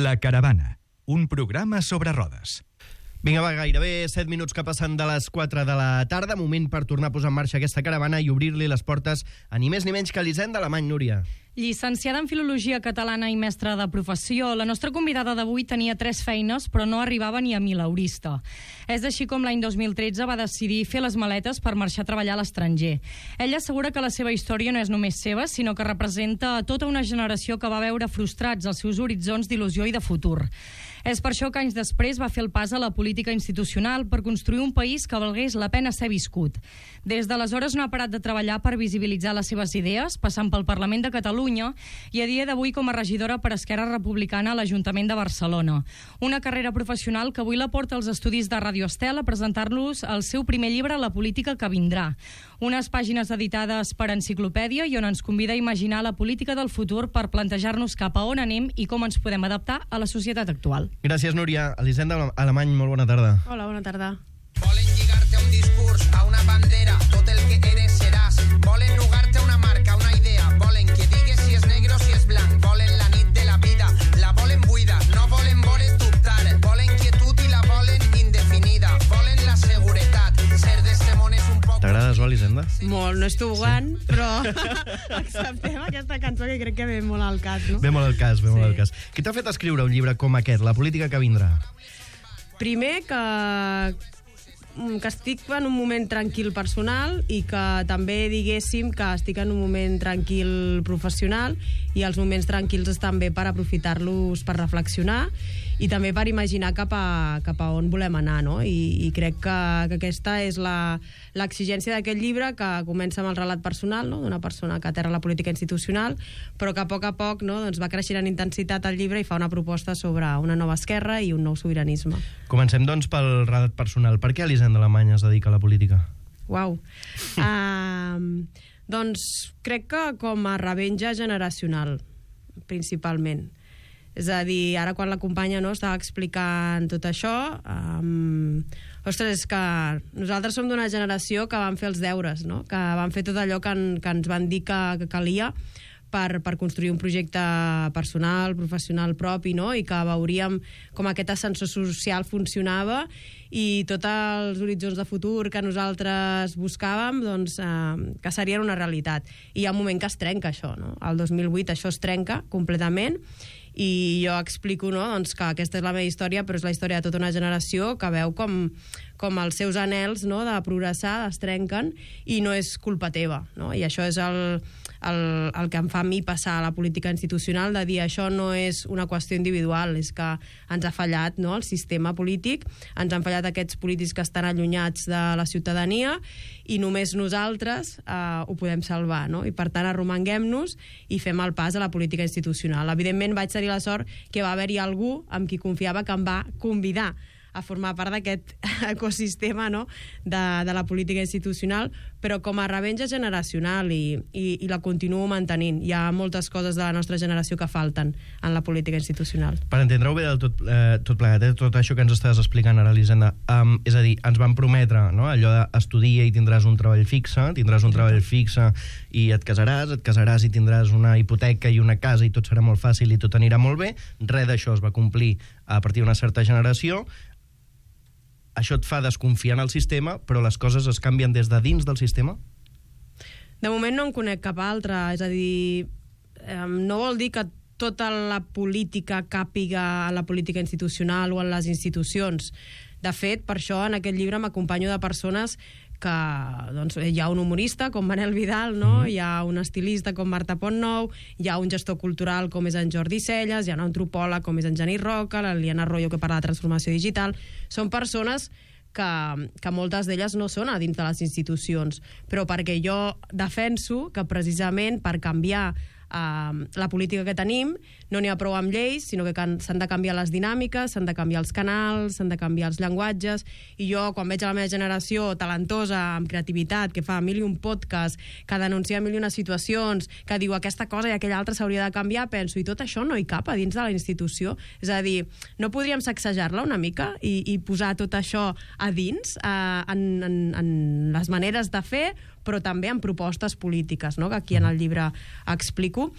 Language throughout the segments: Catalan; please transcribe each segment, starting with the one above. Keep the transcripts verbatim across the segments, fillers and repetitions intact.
La Caravana, un programa sobre rodes. Vinga, va, gairebé set minuts que passen de les quatre de la tarda. Moment per tornar a posar en marxa aquesta caravana i obrir-li les portes a ni més ni menys que l'Hisenda Alemany, Núria. Llicenciada en Filologia Catalana i mestra de professió, la nostra convidada d'avui tenia tres feines, però no arribava ni a mileurista. És així com l'any dos mil tretze va decidir fer les maletes per marxar a treballar a l'estranger. Ella assegura que la seva història no és només seva, sinó que representa tota una generació que va veure frustrats els seus horitzons d'il·lusió i de futur. És per això que anys després va fer el pas a la política institucional per construir un país que valgués la pena ser viscut. Des d'aleshores no ha parat de treballar per visibilitzar les seves idees, passant pel Parlament de Catalunya i a dia d'avui com a regidora per Esquerra Republicana a l'Ajuntament de Barcelona. Una carrera professional que avui la porta als estudis de Radio Estel a presentar-los el seu primer llibre, La política que vindrà. Unes pàgines editades per Enciclopèdia i on ens convida a imaginar la política del futur per plantejar-nos cap a on anem i com ens podem adaptar a la societat actual. Gràcies, Núria. L'Hisenda Alemany, molt bona tarda. Hola, bona tarda. Volen lligarte a un discurs, a una bandera, tot el que eres seràs. Volen nugarte a una marca, una idea. Volen que digues si és negre o si és blanc. Volen la nit de la vida, la volen buida. No volen voler dubtar. Volen quietud i la volen indefinida. Volen la seguretat. Ser d'este món és un poc... T'agrada, Joan, l'Hisenda? Molt, no estic jugant, sí. Però acceptem aquesta cançó que crec que ve molt al cas, no? Ve molt al cas, ve Sí. molt al cas. Què t'ha fet escriure un llibre com aquest, La política que vindrà? Primer que que estic en un moment tranquil personal i que també diguéssim que estic en un moment tranquil professional i els moments tranquils estan bé per aprofitar-los per reflexionar i també per imaginar cap a, cap a on volem anar, no? I, i crec que, que aquesta és la, l'exigència d'aquest llibre, que comença amb el relat personal, no? D'una persona que aterra la política institucional, però que a poc a poc, no? Doncs va creixent en intensitat el llibre i fa una proposta sobre una nova esquerra i un nou sobiranisme. Comencem, doncs, pel relat personal. Per què l'Hisenda Alemany es dedica a la política? Uau. Uh, doncs crec que com a revenja generacional, principalment. És a dir, ara quan la companya, no, estava explicant tot això, um, ostres, és que nosaltres som d'una generació que vam fer els deures, no? Que vam fer tot allò que, en, que ens van dir que, que calia per, per construir un projecte personal, professional propi, no? I que veuríem com aquest ascensor social funcionava i tots els horitzons de futur que nosaltres buscàvem, doncs, eh, que serien una realitat. I hi ha un moment que es trenca això, no? El dos mil vuit això es trenca completament i jo explico, no, doncs, que aquesta és la meva història, però és la història de tota una generació que veu com, com els seus anhels, no, de progressar es trenquen i no és culpa teva, no? I això és el, el, el que em fa a mi passar a la política institucional, de dir això no és una qüestió individual, és que ens ha fallat, no, el sistema polític, ens han fallat aquests polítics que estan allunyats de la ciutadania i només nosaltres eh, ho podem salvar, no? I per tant arromanguem-nos i fem el pas a la política institucional. Evidentment vaig tenir la sort que va haver-hi algú amb qui confiava que em va convidar a formar part d'aquest ecosistema, no, de, de la política institucional, però com a revenja generacional i, i, i la continuo mantenint. Hi ha moltes coses de la nostra generació que falten en la política institucional. Per entendre-ho bé del tot, eh, tot plegat, eh, tot això que ens estàs explicant ara, Elisenda, um, és a dir, ens van prometre, no, allò d'estudia i tindràs un treball fixe, tindràs un treball fixe i et casaràs, et casaràs i tindràs una hipoteca i una casa i tot serà molt fàcil i tot anirà molt bé. Res d'això es va complir a partir d'una certa generació. Això et fa desconfiar en el sistema, però les coses es canvien des de dins del sistema? De moment no en conec cap altre, és a dir, eh, no vol dir que tota la política càpiga a la política institucional o en les institucions. De fet, per això en aquest llibre m'acompanyo de persones que, doncs, hi ha un humorista com Manel Vidal, no? Mm. Hi ha un estilista com Marta Pontnou, hi ha un gestor cultural com és en Jordi Celles, hi ha un antropòleg com és en Genís Roca, la Liliana Arroyo que parla de transformació digital. Són persones que, que moltes d'elles no són a dins de les institucions, però perquè jo defenso que precisament per canviar Uh, la política que tenim no n'hi ha prou amb lleis, sinó que s'han de canviar les dinàmiques, s'han de canviar els canals, s'han de canviar els llenguatges, i jo quan veig a la meva generació talentosa, amb creativitat, que fa mil i un podcast, que denuncia mil i unes situacions, que diu aquesta cosa i aquella altra s'hauria de canviar, penso, i tot això no hi cap a dins de la institució. És a dir, no podríem sacsejar-la una mica i, i posar tot això a dins, uh, en, en, en les maneres de fer, però també en propostes polítiques, no? Que aquí en el llibre explico.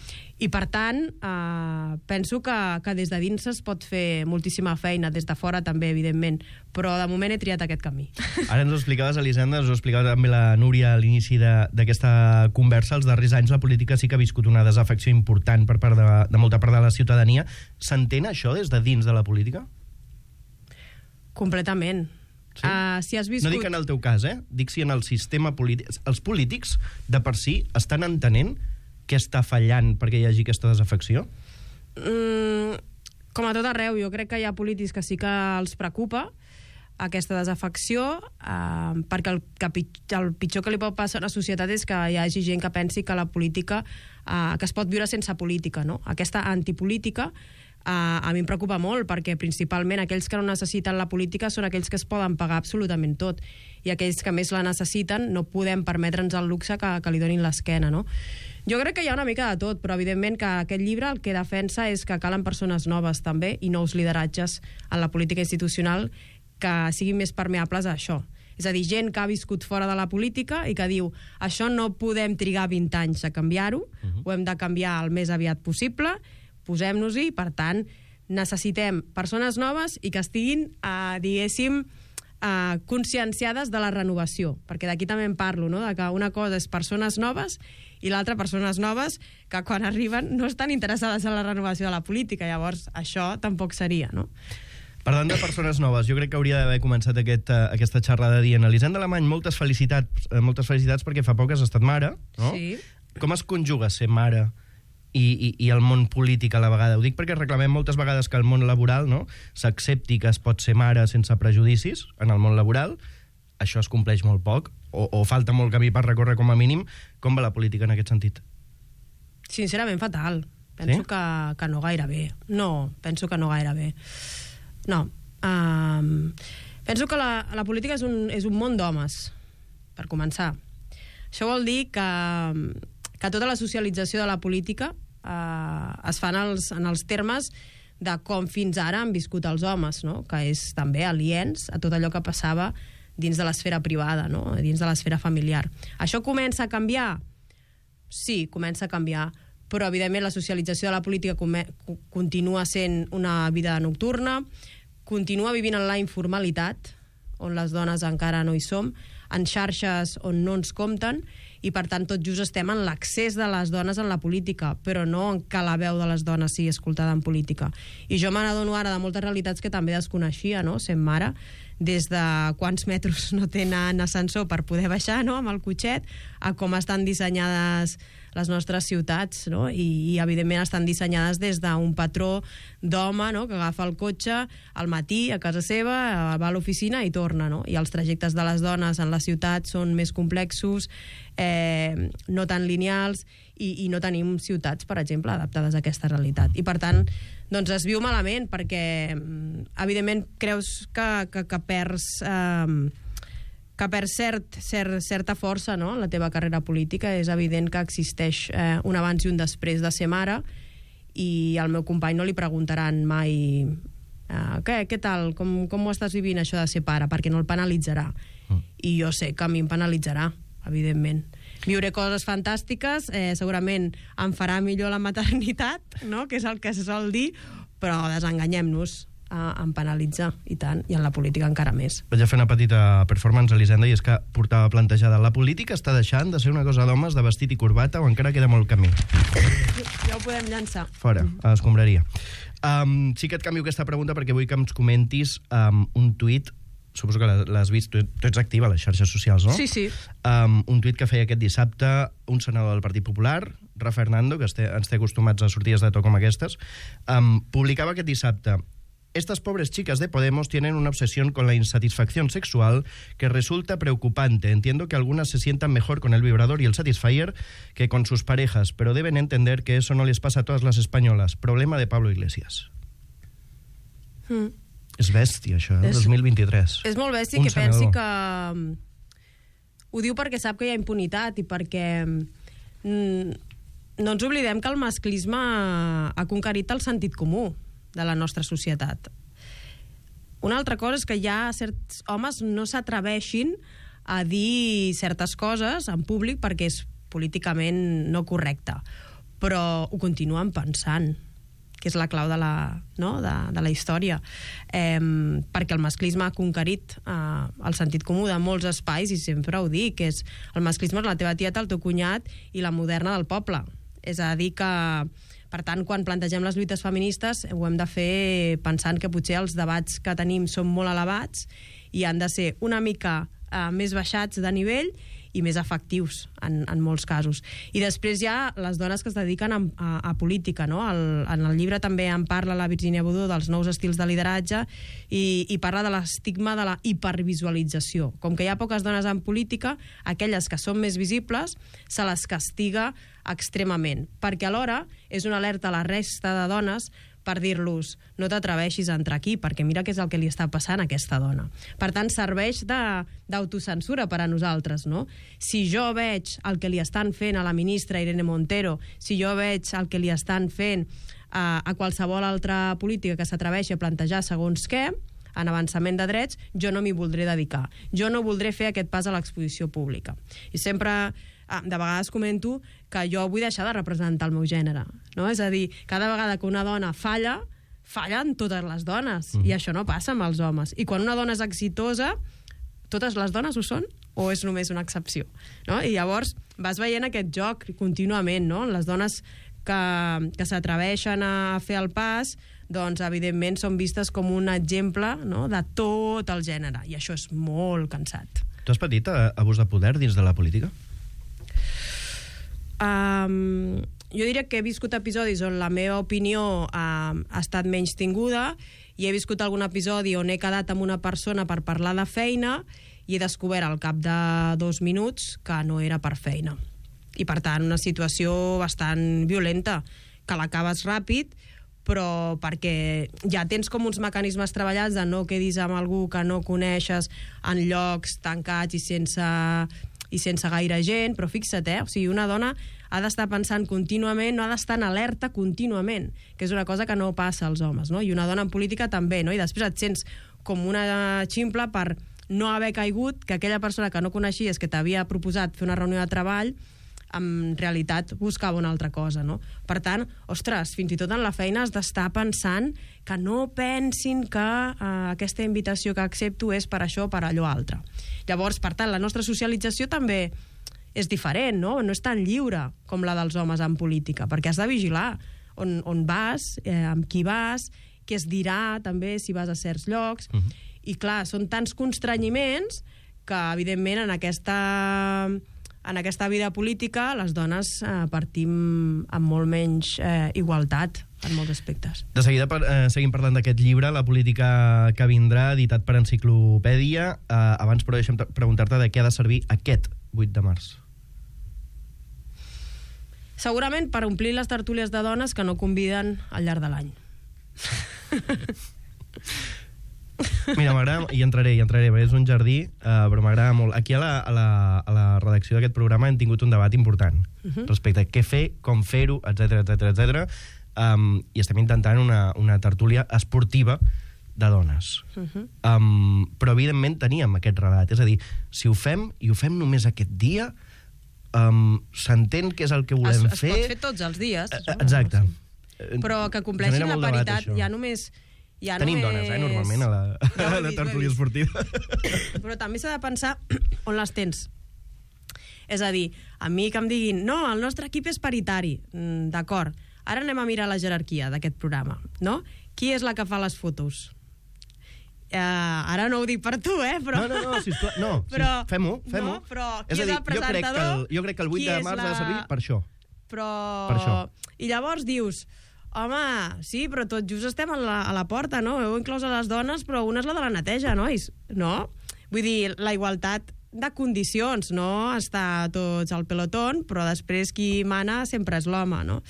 I, per tant, eh, penso que, que des de dins es pot fer moltíssima feina, des de fora també, evidentment, però de moment he triat aquest camí. Ara ens ho explicaves, Elisenda, ens ho explicava també la Núria a l'inici d'aquesta conversa. Els darrers anys la política sí que ha viscut una desafecció important per part de, de molta part de la ciutadania. S'entén això des de dins de la política? Completament. Sí? Uh, si has viscut... No dic en el teu cas, eh? Dic si en el sistema polític... Els polítics, de per si, estan entenent què està fallant perquè hi hagi aquesta desafecció? Mm, com a tot arreu, jo crec que hi ha polítics que sí que els preocupa aquesta desafecció, eh, perquè el, que pitjor, el pitjor que li pot passar a la societat és que hi hagi gent que pensi que la política, eh, que es pot viure sense política, no? Aquesta antipolítica eh, a mi em preocupa molt, perquè principalment aquells que no necessiten la política són aquells que es poden pagar absolutament tot, i aquells que més la necessiten no podem permetre'ns el luxe que, que li donin l'esquena, no? Jo crec que hi ha una mica de tot, però evidentment que aquest llibre el que defensa és que calen persones noves també i nous lideratges en la política institucional que siguin més permeables a això. És a dir, gent que ha viscut fora de la política i que diu això no podem trigar vint anys a canviar-ho, uh-huh. ho hem de canviar el més aviat possible, posem-nos-hi, per tant, necessitem persones noves i que estiguin, eh, diguéssim, eh, conscienciades de la renovació, perquè d'aquí també en parlo, no? De que una cosa és persones noves i l'altra persones noves que quan arriben no estan interessades en la renovació de la política, llavors això tampoc seria, no? Parlant de persones noves, jo crec que hauria d'haver començat aquest, uh, aquesta xerrada dient Elisenda Alemany, moltes felicitats, uh, moltes felicitats perquè fa poc has estat mare, no? Sí. Com es conjuga ser mare i, i, i el món polític a la vegada? Ho dic perquè reclamem moltes vegades que el món laboral, no, s'accepti que es pot ser mare sense prejudicis en el món laboral. Això es compleix molt poc, o, o falta molt camí per recórrer com a mínim. Com va la política en aquest sentit? Sincerament, fatal. Penso sí? que, que no gaire bé. No, penso que no gaire bé. No. Um, penso que la, la política és un, és un món d'homes, per començar. Això vol dir que, que tota la socialització de la política uh, es fa en els, en els termes de com fins ara han viscut els homes, no? Que és també aliens a tot allò que passava dins de l'esfera privada, no? Dins de l'esfera familiar. Això comença a canviar? Sí, comença a canviar, però evidentment la socialització de la política continua sent una vida nocturna, continua vivint en la informalitat, on les dones encara no hi som, en xarxes on no ens compten, i per tant tot just estem en l'accés de les dones en la política, però no en que la veu de les dones sigui escoltada en política. I jo me n'adono ara de moltes realitats que també desconeixia, no?, sent mare, des de quants metres no tenen ascensor per poder baixar, no?, amb el cotxet, a com estan dissenyades les nostres ciutats, no? I, i evidentment estan dissenyades des d'un patró d'home, no?, que agafa el cotxe al matí a casa seva, va a l'oficina i torna, no? I els trajectes de les dones en la ciutat són més complexos, eh, no tan lineals, i, i no tenim ciutats, per exemple, adaptades a aquesta realitat. I per tant, doncs es viu malament, perquè evidentment creus que, que, que perds... Eh, que per cert, cert, certa força, no?, en la teva carrera política. És evident que existeix eh, un abans i un després de ser mare, i al meu company no li preguntaran mai eh, què, què tal, com, com ho estàs vivint això de ser pare, perquè no el penalitzarà. Mm. I jo sé que a mi em penalitzarà, evidentment. Viuré coses fantàstiques, eh, segurament em farà millor la maternitat, no?, que és el que se sol dir, però desenganyem-nos. Em penalitza, i tant, i en la política encara més. Vaig a fer una petita performance, Elisenda, i és que portava plantejada: la política està deixant de ser una cosa d'homes de vestit i corbata, o encara queda molt camí? Ja ho podem llançar. Fora, a l'escombraria. Um, sí que et canvio aquesta pregunta perquè vull que ens comentis um, un tuit, suposo que l'has vist, tu, tu ets activa a les xarxes socials, no? Sí, sí. Um, un tuit que feia aquest dissabte un senador del Partit Popular, Rafa Hernando, que ens té, ens té acostumats a sortides de to com aquestes, um, publicava aquest dissabte: estas pobres chicas de Podemos tienen una obsesión con la insatisfacción sexual que resulta preocupante. Entiendo que algunas se sientan mejor con el vibrador y el Satisfyer que con sus parejas, pero deben entender que eso no les pasa a todas las españolas. Problema de Pablo Iglesias. Mm. És bèstia, això, eh? És, dos mil vint-i-tres. És molt bèstia un que senador. pensi que... Ho diu perquè sap que hi ha impunitat i perquè... Mm, no ens oblidem que el masclisme ha conquerit el sentit comú de la nostra societat. Una altra cosa és que ja certs homes no s'atreveixin a dir certes coses en públic perquè és políticament no correcte. Però ho continuen pensant, que és la clau de la, no? de, de la història. Eh, perquè el masclisme ha conquerit eh, el sentit comú de molts espais, i sempre ho dic, que és el masclisme és la teva tieta, el teu cunyat i la moderna del poble. És a dir que, per tant, quan plantegem les lluites feministes ho hem de fer pensant que potser els debats que tenim són molt elevats i han de ser una mica eh, més baixats de nivell i més efectius en, en molts casos. I després hi ha les dones que es dediquen a, a, a política, no? El, en el llibre també en parla la Virginia Boudou dels nous estils de lideratge i, i parla de l'estigma de la hipervisualització. Com que hi ha poques dones en política, aquelles que són més visibles se les castiga extremament, perquè alhora és una alerta a la resta de dones per dir-los, no t'atreveixis a entrar aquí, perquè mira què és el que li està passant a aquesta dona. Per tant, serveix d'autocensura per a nosaltres, no? Si jo veig el que li estan fent a la ministra Irene Montero, si jo veig el que li estan fent a, a qualsevol altra política que s'atreveixi a plantejar segons què, en avançament de drets, jo no m'hi voldré dedicar. Jo no voldré fer aquest pas a l'exposició pública. I sempre... de vegades comento que jo vull deixar de representar el meu gènere, no? És a dir, cada vegada que una dona falla, fallen totes les dones, mm. i això no passa amb els homes. I quan una dona és exitosa, totes les dones ho són? O és només una excepció? No? I llavors vas veient aquest joc contínuament, no? Les dones que, que s'atreveixen a fer el pas, doncs evidentment són vistes com un exemple, no? De tot el gènere, i això és molt cansat. Tu has patit abús de poder dins de la política? Um, jo diria que he viscut episodis on la meva opinió uh, ha estat menys tinguda, i he viscut algun episodi on he quedat amb una persona per parlar de feina i he descobert al cap de dos minuts que no era per feina. I per tant, una situació bastant violenta, que l'acabes ràpid, però perquè ja tens com uns mecanismes treballats de no quedis amb algú que no coneixes en llocs tancats i sense... i sense gaire gent, però fixa't, eh? O sigui, una dona ha d'estar pensant contínuament, no ha d'estar en alerta contínuament, que és una cosa que no passa als homes, no? I una dona en política també, no? I després et sents com una ximpla per no haver caigut que aquella persona que no coneixies, que t'havia proposat fer una reunió de treball, en realitat buscava una altra cosa, no? Per tant, ostres, fins i tot en la feina has d'estar pensant que no pensin que eh, aquesta invitació que accepto és per això o per allò altre. Llavors, per tant, la nostra socialització també és diferent, no? No és tan lliure com la dels homes en política, perquè has de vigilar on, on vas, eh, amb qui vas, què es dirà també si vas a certs llocs, uh-huh. I clar, són tants constrenyiments que, evidentment, en aquesta... en aquesta vida política les dones eh, partim amb molt menys eh, igualtat en molts aspectes. De seguida eh, seguim parlant d'aquest llibre, La política que vindrà, editat per Enciclopèdia. Eh, abans, però, deixa'm preguntar-te de què ha de servir aquest vuit de març. Segurament per omplir les tertúlies de dones que no conviden al llarg de l'any. Mira, m'agrada, i entraré, i entraré, perquè és un jardí, uh, però m'agrada molt. Aquí a la, a la, a la redacció d'aquest programa hem tingut un debat important uh-huh. respecte a què fer, com fer-ho, etcètera, etcètera, etcètera. Um, i estem intentant una, una tertúlia esportiva de dones. Uh-huh. Um, però, evidentment, teníem aquest relat. És a dir, si ho fem, i ho fem només aquest dia, um, s'entén què és el que volem es, fer... Es pot fer tots els dies. Uh, exacte. Però que compleixin la paritat, ja només... Ja Tenim només... dones, eh, normalment, a la, ja a la tertúlia esportiva. Però també s'ha de pensar on les tens. És a dir, a mi que em diguin no, el nostre equip és paritari. Mm, d'acord. Ara anem a mirar la jerarquia d'aquest programa, no? Qui és la que fa les fotos? Uh, ara no ho dic per tu, eh? Però... No, no, no, sisplau, no, però... sí, fem-ho, fem-ho. No, però és qui és, a dir, el presentador? Jo crec que el, jo crec que el vuit de març la... ha de servir per això. Però... Per això. I llavors dius... Home, sí, però tot just estem a la, a la porta, no? Heu inclòs a les dones, però una és la de la neteja, nois. No? Vull dir, la igualtat de condicions, no? Està tots al pelotón, però després qui mana sempre és l'home, no?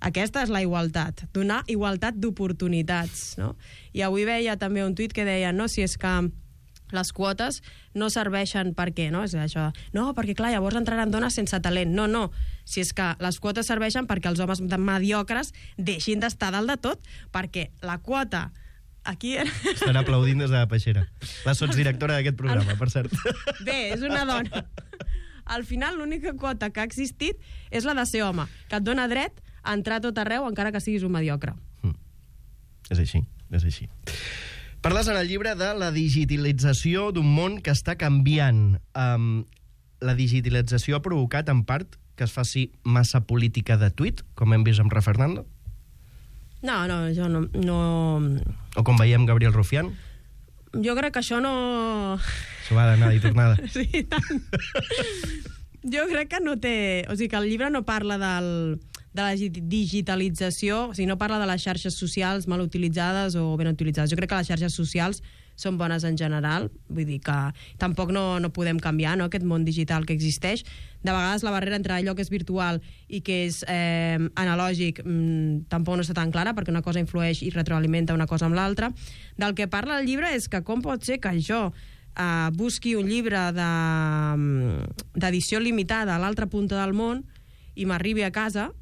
Aquesta és la igualtat, donar igualtat d'oportunitats, no? I avui veia també un tuit que deia, no, si és que les quotes no serveixen per què, no? És això, no, perquè clar, llavors entraran dones sense talent. No, no, si és que les quotes serveixen perquè els homes mediocres deixin d'estar dalt de tot, perquè la quota Aquí... Estan aplaudint des de la peixera. La sotsdirectora d'aquest programa, per cert. Bé, és una dona. Al final, l'única quota que ha existit és la de ser home, que et dona dret a entrar a tot arreu, encara que siguis un mediocre. Mm. És així, és així. Parles en el llibre de la digitalització d'un món que està canviant. Um, la digitalització ha provocat, en part, que es faci massa política de tuit, com hem vist amb Ra Fernando? No, no, jo no... no... O com veiem Gabriel Rufián? Jo crec que això no... Això va d'anada i tornada. Sí, tant. Jo crec que no té... O sigui, que el llibre no parla del, de la digitalització, o sigui, no parla de les xarxes socials mal utilitzades o ben utilitzades. Jo crec que les xarxes socials són bones en general, vull dir que tampoc no, no podem canviar, no?, aquest món digital que existeix. De vegades la barrera entre allò que és virtual i que és eh, analògic mmm, tampoc no està tan clara, perquè una cosa influeix i retroalimenta una cosa amb l'altra. Del que parla el llibre és que com pot ser que jo eh, busqui un llibre d'edició de, limitada a l'altra punta del món i m'arribi a casa,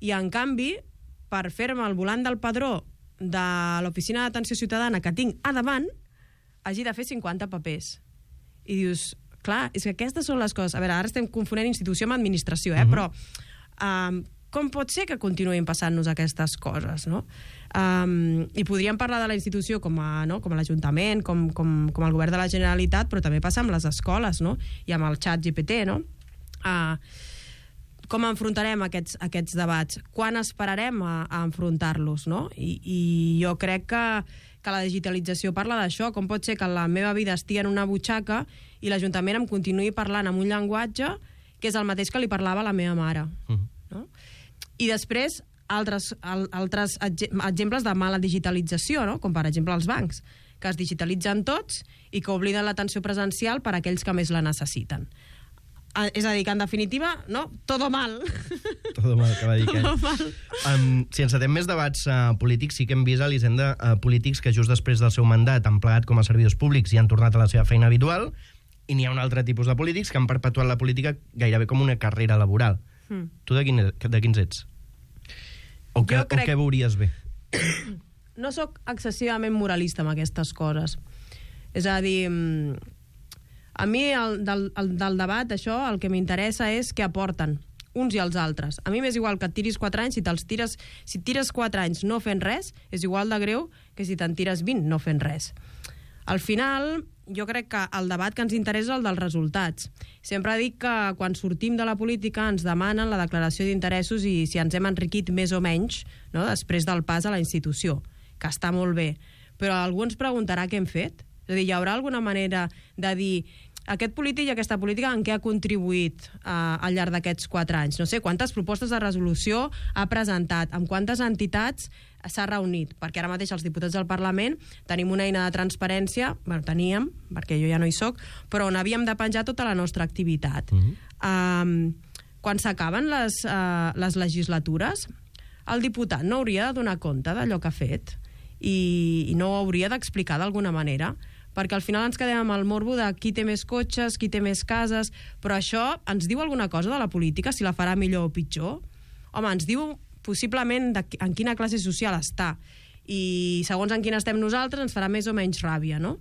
i en canvi, per fer-me el volant del padró de l'Oficina d'Atenció Ciutadana que tinc a davant, hagi de fer cinquanta papers. I dius, clar, és que aquestes són les coses... A veure, ara estem confonent institució amb administració, eh? Uh-huh. Però um, com pot ser que continuïn passant-nos aquestes coses, no? Um, I podríem parlar de la institució com a, no? com a l'Ajuntament, com, com, com el govern de la Generalitat, però també passa amb les escoles, no? I amb el xat G P T, no? Uh, com enfrontarem aquests, aquests debats? Quan esperarem a, a enfrontar-los, no? I, i jo crec que, que la digitalització parla d'això. Com pot ser que la meva vida estigui en una butxaca i l'Ajuntament em continuï parlant amb un llenguatge que és el mateix que li parlava a la meva mare? Uh-huh. No? I després, altres, al, altres exemples de mala digitalització, no? Com per exemple els bancs, que es digitalitzen tots i que obliden l'atenció presencial per a aquells que més la necessiten. És a dir, que en definitiva, no? Todo mal. Todo mal, que va dir que... Todo mal. Um, si encetem més debats uh, polítics, sí que hem vist a l'Hisenda uh, polítics que just després del seu mandat han plegat com a servidors públics i han tornat a la seva feina habitual, i n'hi ha un altre tipus de polítics que han perpetuat la política gairebé com una carrera laboral. Mm. Tu de, quin, de quins ets? O, que, crec... o què veuries bé? No sóc excessivament moralista amb aquestes coses. És a dir... A mi, el, del, el, del debat, això, el que m'interessa és què aporten uns i els altres. A mi m'és igual que et tiris quatre anys, si te'ls tires, si et tires quatre anys no fent res, és igual de greu que si te'n tires vint no fent res. Al final, jo crec que el debat que ens interessa és el dels resultats. Sempre dic que quan sortim de la política ens demanen la declaració d'interessos i si ens hem enriquit més o menys, no?, després del pas a la institució, que està molt bé. Però algú ens preguntarà què hem fet? És a dir, hi haurà alguna manera de dir aquest polític i aquesta política en què ha contribuït eh, al llarg d'aquests quatre anys? No sé, quantes propostes de resolució ha presentat, amb quantes entitats s'ha reunit? Perquè ara mateix els diputats del Parlament tenim una eina de transparència, bueno, teníem, perquè jo ja no hi soc, però on havíem de penjar tota la nostra activitat. Uh-huh. Um, quan s'acaben les, uh, les legislatures, el diputat no hauria de donar compte d'allò que ha fet i, i no ho hauria d'explicar d'alguna manera, perquè al final ens quedem amb el morbo de qui té més cotxes, qui té més cases, però això ens diu alguna cosa de la política, si la farà millor o pitjor? Home, ens diu possiblement de, en quina classe social està, i segons en quina estem nosaltres ens farà més o menys ràbia, no?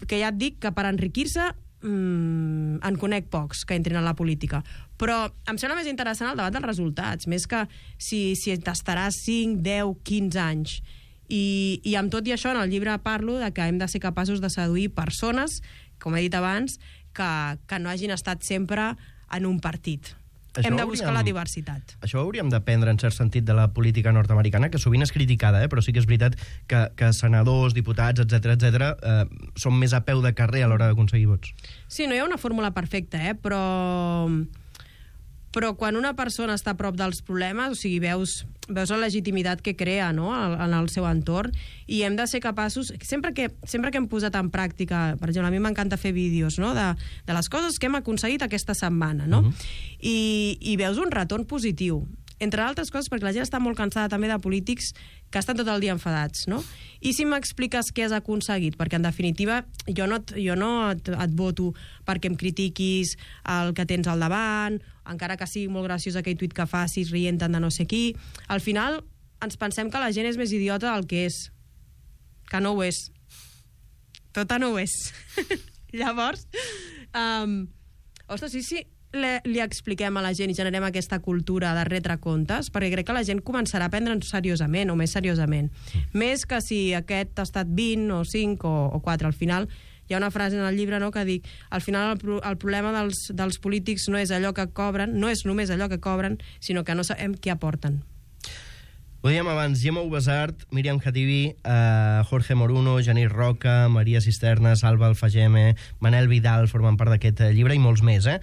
Que ja et dic que per enriquir-se mmm, en conec pocs que entrin a la política, però em sembla més interessant el debat dels resultats, més que si, si t'estaràs cinc, deu, quinze anys. I, i amb tot i això en el llibre parlo de que hem de ser capaços de seduir persones, com he dit abans, que, que no hagin estat sempre en un partit. Això hem de buscar hauríem, la diversitat. Això ho hauríem d'aprendre en cert sentit de la política nord-americana, que sovint és criticada, eh? Però sí que és veritat que, que senadors, diputats, etcètera, etcètera, eh, són més a peu de carrer a l'hora d'aconseguir vots. Sí, no hi ha una fórmula perfecta, eh? però... però quan una persona està a prop dels problemes, o sigui, veus, veus la legitimitat que crea, no?, en el seu entorn, i hem de ser capaços, sempre que, sempre que hem posat en pràctica, per exemple, a mi m'encanta fer vídeos, no?, de, de les coses que hem aconseguit aquesta setmana, no? Uh-huh. I, i veus un retorn positiu. Entre altres coses perquè la gent està molt cansada també de polítics que estan tot el dia enfadats, no? I si m'expliques què has aconseguit? Perquè, en definitiva, jo no, et, jo no et, et voto perquè em critiquis el que tens al davant, encara que sigui molt graciós aquell tuit que facis rient de no sé qui. Al final, ens pensem que la gent és més idiota del que és. que no ho és. Tota no ho és. Llavors, um, ostres, sí, sí, li, li expliquem a la gent i generem aquesta cultura de retre comptes, perquè crec que la gent començarà a prendre'ns seriosament, o més seriosament. Mm. Més que si aquest ha estat vint o cinc o, o quatre. Al final, hi ha una frase en el llibre, no?, que dic, al final el, el problema dels, dels polítics no és allò que cobren, no és només allò que cobren, sinó que no sabem què aporten. Ho dèiem abans, Gemma Ubasart, Míriam Khatibi, eh, Jorge Moruno, Genís Roca, Maria Cisterna, Salva Alfageme, Manel Vidal formen part d'aquest llibre i molts més, eh?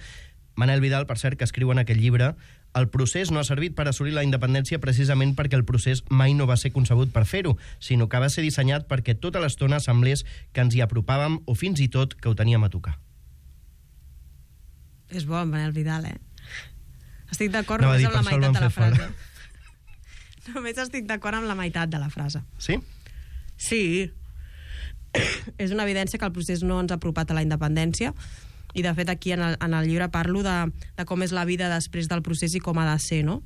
Manel Vidal, per cert, que escriu en aquest llibre: el procés no ha servit per assolir la independència precisament perquè el procés mai no va ser concebut per fer-ho, sinó que va ser dissenyat perquè tota l'estona semblés que ens hi apropàvem o fins i tot que ho teníem a tocar. És bo, Manel Vidal, eh? Estic d'acord No, només dir, amb la per això el meitat van de la fer fora. frase. Només estic d'acord amb la meitat de la frase. Sí? Sí. És una evidència que el procés no ens ha apropat a la independència, i de fet aquí en el, en el llibre parlo de, de com és la vida després del procés i com ha de ser, no?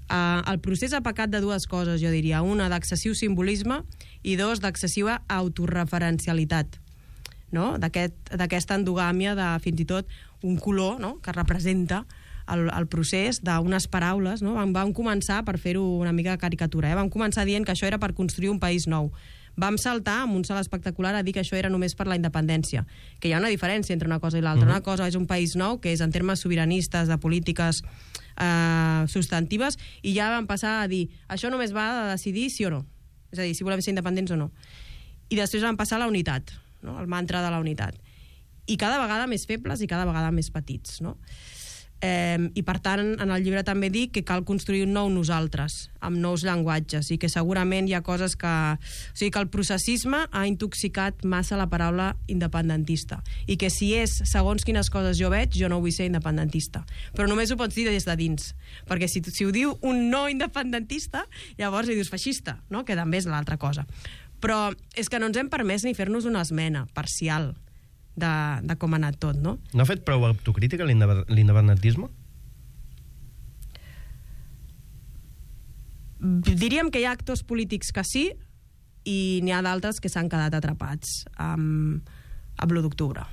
Uh, el procés ha pecat de dues coses, jo diria. Una, d'excessiu simbolisme, i dos, d'excessiva autorreferencialitat, no? D'aquest, d'aquesta endogàmia de fins i tot un color, no?, que representa el, el procés d'unes paraules, no? Vam, vam començar, per fer-ho una mica de caricatura, eh? vam començar dient que això era per construir un país nou. Vam saltar amb un salt espectacular a dir que això era només per la independència, que hi ha una diferència entre una cosa i l'altra. Mm-hmm. Una cosa és un país nou, que és en termes sobiranistes, de polítiques eh, substantives, i ja vam passar a dir, això només va de decidir sí o no, és a dir, si volem ser independents o no. I després vam passar a la unitat, no? El mantra de la unitat. I cada vegada més febles i cada vegada més petits, no? Eh, I per tant, en el llibre també dic que cal construir un nou nosaltres, amb nous llenguatges, i que segurament hi ha coses que... O sigui, que el processisme ha intoxicat massa la paraula independentista, i que si és segons quines coses jo veig, jo no vull ser independentista. Però només ho pots dir des de dins, perquè si, si ho diu un no independentista, llavors li dius feixista, no?, que també és l'altra cosa. Però és que no ens hem permès ni fer-nos una esmena parcial De, de com ha anat tot, no? No ha fet prou autocrítica l'independentisme? Diríem que hi ha actors polítics que sí, i n'hi ha d'altres que s'han quedat atrapats amb, amb l'u d'octubre.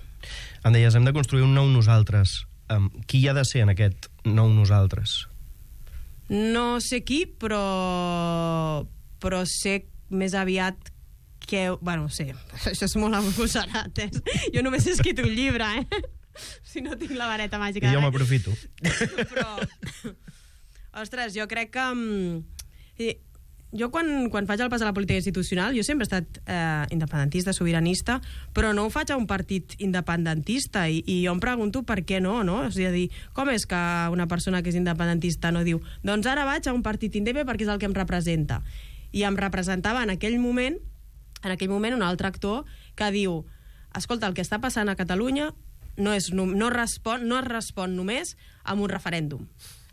Em deies, hem de construir un nou nosaltres. Um, qui hi ha de ser en aquest nou nosaltres? No sé qui, però, però sé més aviat que, bueno, sí, això és molt agosarat, eh? Jo només he escrit un llibre, eh? Si no tinc la vareta màgica. I jo m'aprofito. Però, ostres, jo crec que... Um, jo quan, quan faig el pas a la política institucional, jo sempre he estat eh, independentista, sobiranista, però no ho faig a un partit independentista, i, i jo em pregunto per què no, no? És a dir, com és que una persona que és independentista no diu, doncs ara vaig a un partit indepe perquè és el que em representa? I em representava en aquell moment en aquell moment un altre actor que diu, escolta, el que està passant a Catalunya no, és, no, no, respon, no es respon només amb un referèndum.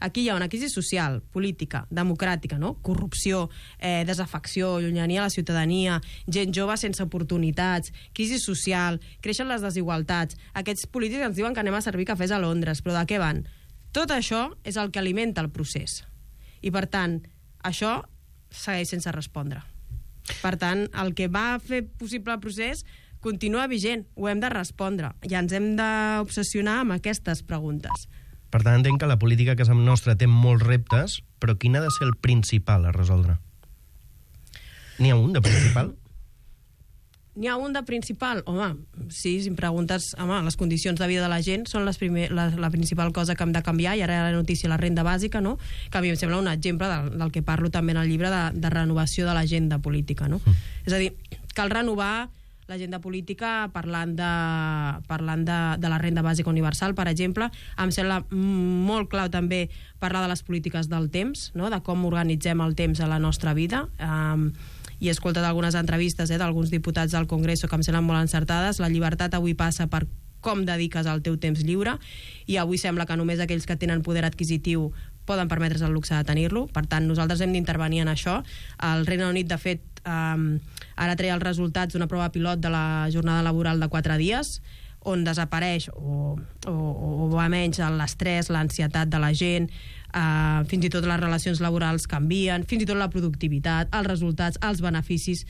Aquí hi ha una crisi social, política, democràtica, no? Corrupció, eh, desafecció, llunyania a la ciutadania, gent jove sense oportunitats, crisi social, creixen les desigualtats. Aquests polítics ens diuen que anem a servir cafès a Londres, però de què van? Tot això és el que alimenta el procés. I, per tant, això segueix sense respondre. Per tant, el que va fer possible el procés continua vigent, ho hem de respondre, i ens hem d'obsessionar amb aquestes preguntes. Per tant, entenc que la política a casa nostra té molts reptes, però quin ha de ser el principal a resoldre? N'hi ha un de principal? N'hi ha un de principal? Home, sí, si em preguntes, home, les condicions de vida de la gent són les primer, la, la principal cosa que hem de canviar, i ara la notícia, la renda bàsica, no? Que a mi em sembla un exemple del, del que parlo també en el llibre de, de renovació de l'agenda política, no? Mm. És a dir, cal renovar l'agenda política parlant de, parlant de, de la renda bàsica universal, per exemple. Em sembla molt clau també parlar de les polítiques del temps, no? De com organitzem el temps a la nostra vida. Um, i he escoltat algunes entrevistes eh, d'alguns diputats del Congreso que em semblen molt encertades. La llibertat avui passa per com dediques el teu temps lliure, i avui sembla que només aquells que tenen poder adquisitiu poden permetre's el luxe de tenir-lo. Per tant, nosaltres hem d'intervenir en això. El Regne Unit, de fet, eh, ara treia els resultats d'una prova pilot de la jornada laboral de quatre dies, on desapareix o, o, o va menys l'estrès, l'ansietat de la gent, eh, fins i tot les relacions laborals canvien, fins i tot la productivitat, els resultats, els beneficis.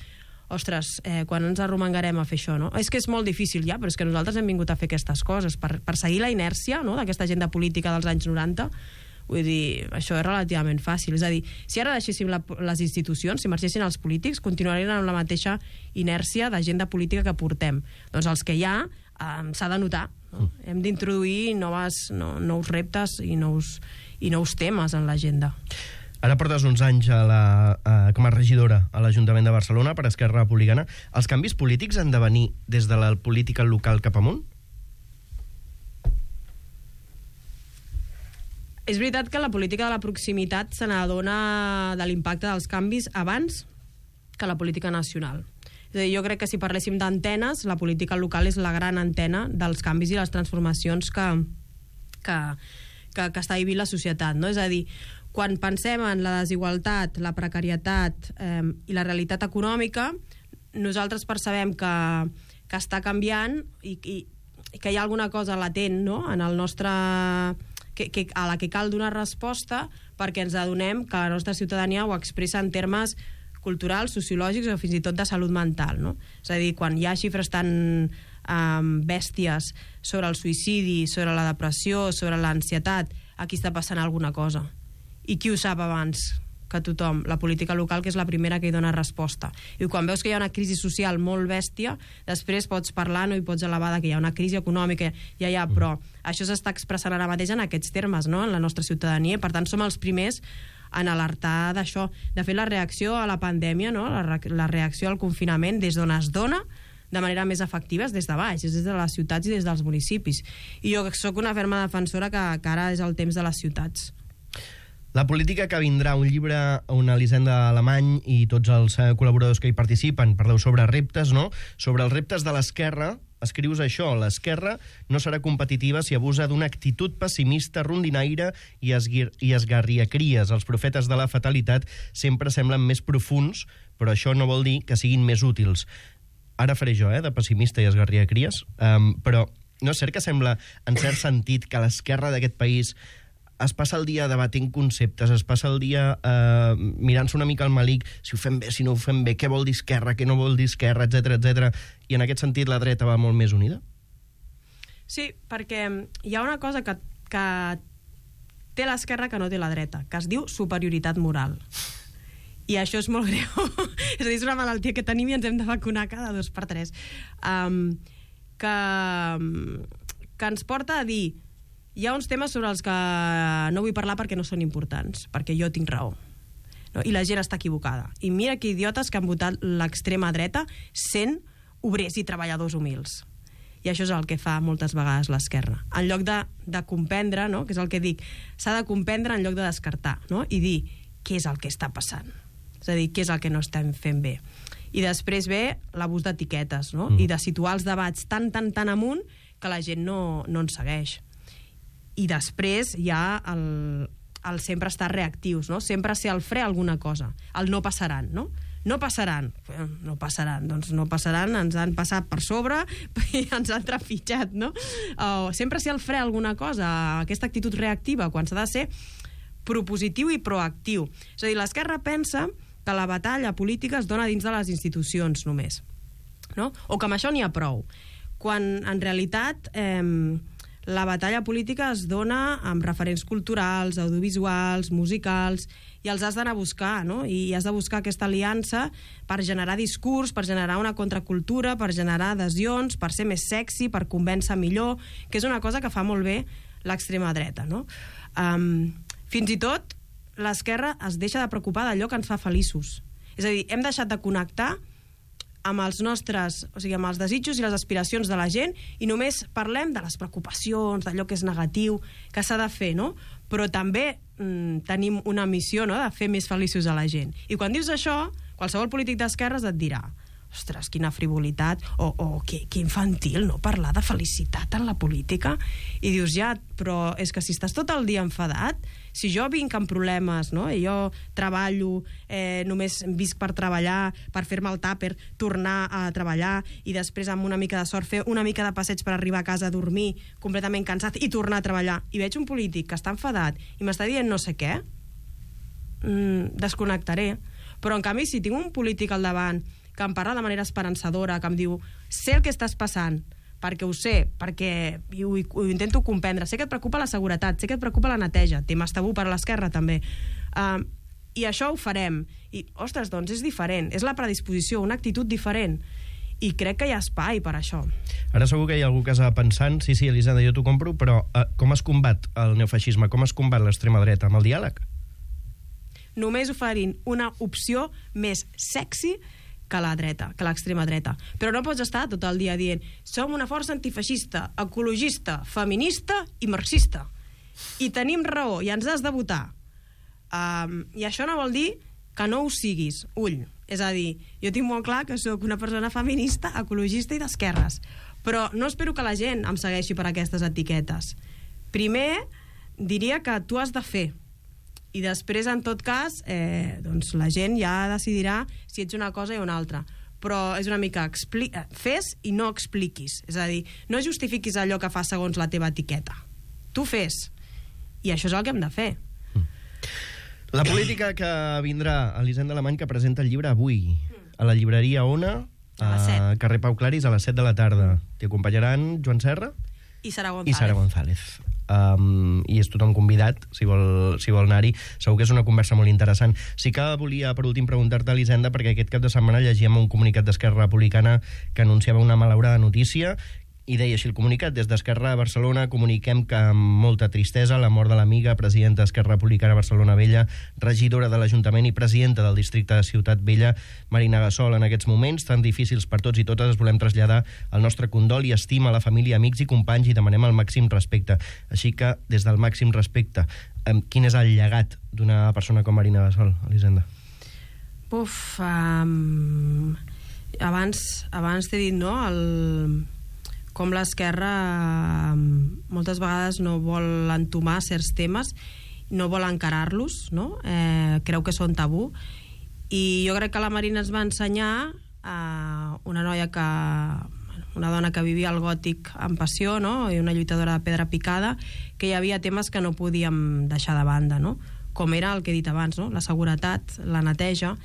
ostres, eh, quan ens arromangarem a fer això, no? És que és molt difícil ja, però és que nosaltres hem vingut a fer aquestes coses per, per seguir la inèrcia, no?, d'aquesta agenda política dels anys noranta. Vull dir, això és relativament fàcil. És a dir, si ara deixéssim la, les institucions, si marxessin els polítics, continuarien amb la mateixa inèrcia d'agenda política que portem. Doncs els que hi ha eh, s'ha de notar, no? Mm. Hem d'introduir noves, no, nous reptes i nous, i nous temes en l'agenda. Ara portes uns anys a la, a, com a regidora a l'Ajuntament de Barcelona per Esquerra Republicana. Els canvis polítics han de venir des de la política local cap amunt? És veritat que la política de la proximitat se n'adona de l'impacte dels canvis abans que la política nacional. És a dir, jo crec que si parléssim d'antenes, la política local és la gran antena dels canvis i les transformacions que, que, que, que està vivint la societat, no? És a dir, quan pensem en la desigualtat, la precarietat eh, i la realitat econòmica, nosaltres percebem que, que està canviant i, i, i que hi ha alguna cosa latent, no?, en el nostre... Que, que, a la que cal donar resposta perquè ens adonem que la nostra ciutadania ho expressa en termes culturals, sociològics o fins i tot de salut mental, no? És a dir, quan hi ha xifres tan um, bèsties sobre el suïcidi, sobre la depressió, sobre l'ansietat, aquí està passant alguna cosa. I qui ho sap abans que tothom? La política local, que és la primera que hi dona resposta. I quan veus que hi ha una crisi social molt bèstia, després pots parlar, no, i pots elevar que hi ha una crisi econòmica, ja hi ha, però això s'està expressant ara mateix en aquests termes, no?, en la nostra ciutadania, i per tant som els primers en alertar d'això. De fet, la reacció a la pandèmia, no?, la, re la reacció al confinament, des d'on es dona de manera més efectiva, és des de baix, és des de les ciutats i des dels municipis. I jo sóc una ferma defensora que, que ara és el temps de les ciutats. La política que vindrà, un llibre on Elisenda Alemany i tots els col·laboradors que hi participen parleu sobre reptes, no? Sobre els reptes de l'esquerra, escrius això: l'esquerra no serà competitiva si abusa d'una actitud pessimista, rondinaire i, i esgarriacries. Els profetes de la fatalitat sempre semblen més profuns, però això no vol dir que siguin més útils. Ara faré jo, eh, de pessimista i esgarriacries, um, però no és cert que sembla, en cert sentit, que l'esquerra d'aquest país es passa el dia debatent conceptes, es passa el dia eh, mirant-se una mica al malic, si ho fem bé, si no ho fem bé, què vol dir esquerra, què no vol dir esquerra, etcètera, etcètera. I en aquest sentit la dreta va molt més unida? Sí, perquè hi ha una cosa que, que té l'esquerra que no té la dreta, que es diu superioritat moral. I això és molt greu. És a dir, és una malaltia que tenim i ens hem de vacunar cada dos per tres. Um, que, que ens porta a dir: hi ha uns temes sobre els que no vull parlar perquè no són importants, perquè jo tinc raó. No? I la gent està equivocada. I mira que idiotes que han votat l'extrema dreta sent obrers i treballadors humils. I això és el que fa moltes vegades l'esquerra. En lloc de, de comprendre, no? Que és el que dic, s'ha de comprendre en lloc de descartar, no? I dir què és el que està passant. És a dir, què és el que no estem fent bé. I després ve l'abús d'etiquetes, no? Mm. I de situar els debats tan, tan, tan amunt que la gent no, no en segueix. I després hi ha el, el sempre estar reactius, no? Sempre ser al fre alguna cosa. El no passaran, no? No passaran. No passaran. Doncs no passaran, ens han passat per sobre i ens han trepitjat, no? O sempre ser al fre alguna cosa, aquesta actitud reactiva, quan s'ha de ser propositiu i proactiu. És a dir, l'esquerra pensa que la batalla política es dona dins de les institucions només, no? O que amb això n'hi ha prou. Quan en realitat eh, la batalla política es dona amb referents culturals, audiovisuals, musicals, i els has d'anar a buscar, no? I has de buscar aquesta aliança per generar discurs, per generar una contracultura, per generar adhesions, per ser més sexy, per convèncer millor, que és una cosa que fa molt bé l'extrema dreta, no? Um, fins i tot l'esquerra es deixa de preocupar d'allò que ens fa feliços. És a dir, hem deixat de connectar amb els nostres, o sigui, amb els desitjos i les aspiracions de la gent, i només parlem de les preocupacions, d'allò que és negatiu, que s'ha de fer, no? Però també mm, tenim una missió, no?, de fer més feliços a la gent. I quan dius això, qualsevol polític d'esquerres et dirà: ostres, quina frivolitat, o, o que, que infantil, no?, parlar de felicitat en la política. I dius, ja, però és que si estàs tot el dia enfadat, si jo vinc amb problemes, no?, i jo treballo, eh, només visc per treballar, per fer-me el tàper, tornar a treballar, i després amb una mica de sort fer una mica de passeig per arribar a casa a dormir, completament cansat, i tornar a treballar, i veig un polític que està enfadat i m'està dient no sé què, mm, desconnectaré. Però en canvi, si tinc un polític al davant que em parla de manera esperançadora, que em diu, sé el que estàs passant, perquè ho sé, perquè ho, ho intento comprendre, sé que et preocupa la seguretat, sé que et preocupa la neteja, temes tabú per a l'esquerra també, uh, i això ho farem, i ostres, doncs és diferent, és la predisposició, una actitud diferent, i crec que hi ha espai per això. Ara segur que hi ha algú que està pensant, sí, sí, Elisenda, jo t'ho compro, però uh, com es combat el neofeixisme, com es combat l'extrema dreta? Amb el diàleg? Només oferint una opció més sexy que la dreta, que l'extrema dreta. Però no pots estar tot el dia dient som una força antifeixista, ecologista, feminista i marxista. I tenim raó, i ens has de votar. Um, I això no vol dir que no ho siguis. Ull. És a dir, jo tinc molt clar que sóc una persona feminista, ecologista i d'esquerres. Però no espero que la gent em segueixi per aquestes etiquetes. Primer, diria que tu has de fer. I després, en tot cas, eh, doncs la gent ja decidirà si ets una cosa o una altra. Però és una mica expli- fes i no expliquis. És a dir, no justifiquis allò que fas segons la teva etiqueta. Tu fes. I això és el que hem de fer. La política que vindrà, Elisenda Alemany, que presenta el llibre avui a la llibreria Ona, A les set. a carrer Pau Claris, a les set de la tarda. T'hi acompanyaran Joan Serra I Sara González. i Sara González. Um, i és tothom convidat, si vol, si vol anar-hi. Segur que és una conversa molt interessant. Sí que volia, per últim, preguntar-te, Elisenda, perquè aquest cap de setmana llegíem un comunicat d'Esquerra Republicana que anunciava una malaurada notícia, i deia així el comunicat: des d'Esquerra de Barcelona comuniquem que amb molta tristesa la mort de l'amiga presidenta d'Esquerra Republicana Barcelona Vella, regidora de l'Ajuntament i presidenta del districte de Ciutat Vella, Marina Gasol. En aquests moments tan difícils per tots i totes es volem traslladar el nostre condol i estima a la família, amics i companys, i demanem el màxim respecte. Així que, des del màxim respecte, quin és el llegat d'una persona com Marina Gasol, Elisenda? Uf, um, abans, abans t'he dit, no?, el... com l'esquerra moltes vegades no vol entomar certs temes, no vol encarar-los, no? Eh, creu que són tabú, i jo crec que la Marina ens va ensenyar eh, una noia que una dona que vivia el gòtic amb passió, no? I una lluitadora de pedra picada, que hi havia temes que no podíem deixar de banda, no? Com era el que he dit abans, no? La seguretat, la neteja,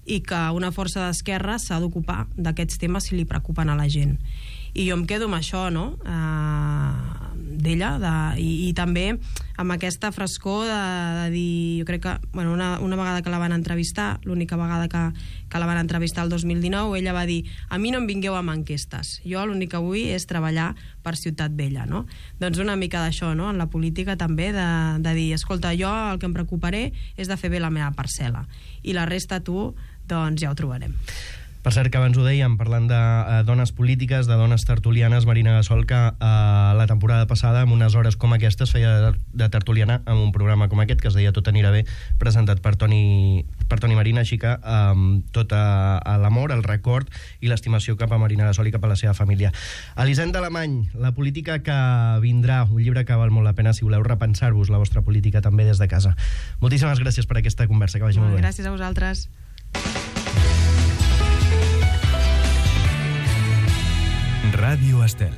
i que una força d'esquerra s'ha d'ocupar d'aquests temes si li preocupen a la gent. I jo em quedo amb això, no?, uh, d'ella, de, i, i també amb aquesta frescor de, de dir, jo crec que, bueno, una, una vegada que la van entrevistar, l'única vegada que, que la van entrevistar el dos mil dinou, ella va dir, a mi no em vingueu amb enquestes, jo l'únic que vull és treballar per Ciutat Vella, no? Doncs una mica d'això, no?, en la política també, de, de dir, escolta, jo el que em preocuparé és de fer bé la meva parcel·la, i la resta tu, doncs ja ho trobarem. Per cert, que abans ho dèiem, parlant de uh, dones polítiques, de dones tertulianes, Marina Gasol, que uh, la temporada passada, en unes hores com aquestes, feia de, de tertuliana en un programa com aquest, que es deia Tot anirà bé, presentat per Toni, per Toni Marina, així que um, tot uh, l'amor, el record i l'estimació cap a Marina Gasol i cap a la seva família. Elisenda Alemany, la política que vindrà, un llibre que val molt la pena si voleu repensar-vos la vostra política també des de casa. Moltíssimes gràcies per aquesta conversa, que vagi molt, molt bé. Gràcies a vosaltres. Ràdio Estel.